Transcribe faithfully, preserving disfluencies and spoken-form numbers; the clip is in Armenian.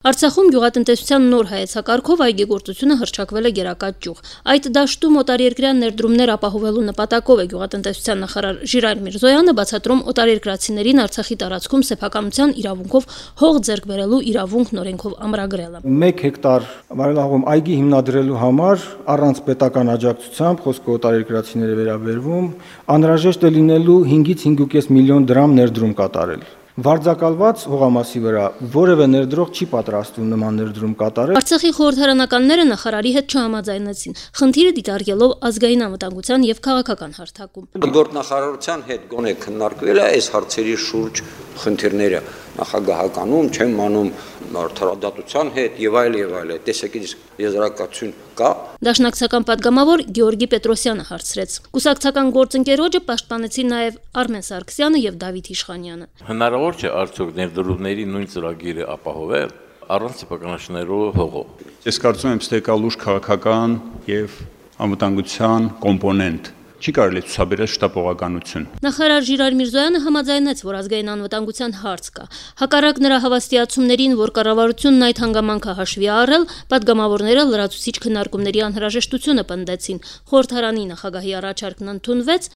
Արցախում գյուղատնտեսության նոր հայեցակարգով այգեգործությունը հռչակվել է գերակա ճյուղ։ Այդ դաշտում օտարերկրյա ներդրումներ ապահովելու նպատակով է գյուղատնտեսության նախարար Ժիրայր Միրզոյանը բացատրում օտարերկրացիներին Արցախի տարածքում սեփականության իրավունքով հող ձեռք բերելու իրավունքն օրենքով ամրագրելը։ Մեկ հեկտար վայրահողում այգի հիմնադրելու համար առանց պետական աջակցությամբ, խոսքը օտարերկրացիների վերաբերվում, անհրաժեշտ է լինելու հինգից հինգ միլիոն դրամ ներդրում կատարել։ Վարձակալված հողամասի վրա որևէ ներդրող չի պատրաստվում նման ներդրում կատարել։ Արցախի խորհրդարանականները նախարարի հետ չհամաձայնեցին, խնդիրը դիտարկելով ազգային անվտանգության եւ քաղաքական հարթակում։ Գործնախարարության հետ գոնե քննարկվել է այս հարցերի շուրջ խնդիրները նախագահականում, չեմ անում արդարադատության հետ եւ այլ եւ այլ։ Տեսեք, եզրակացություն կա։ Դաշնակցական падգամավոր Գեորգի Պետրոսյանը հարցրեց։ Կուսակցական գործընկերոջը պաշտպանեցին նաեւ Արմեն Սարգսյանը եւ Դավիթ Իշխանյանը։ Հնարավոր չէ արդյոք ներդրումների նույն ծրագիրը ապահովել առանց սեփականաշնորհելու հողով։ Ես կարծում եմ, թե կա լուրջ քաղաքական եւ անվտանգության կոմպոնենտ։ Չի կարելի ցուցաբերել շտապողականություն։ Նախարար Ժիրայր Միրզոյանը համաձայնեց, որ ազգային անվտանգության հարց կա։ Հակառակ նրա հավաստիացումներին, որ կառավարությունն այդ հանգամանքը հաշվի առել, падգամավորները լրացուցիչ քննարկումների անհրաժեշտությունը պնդեցին։ Խորհրդարանի նախագահի առաջարկն ընդունվեց,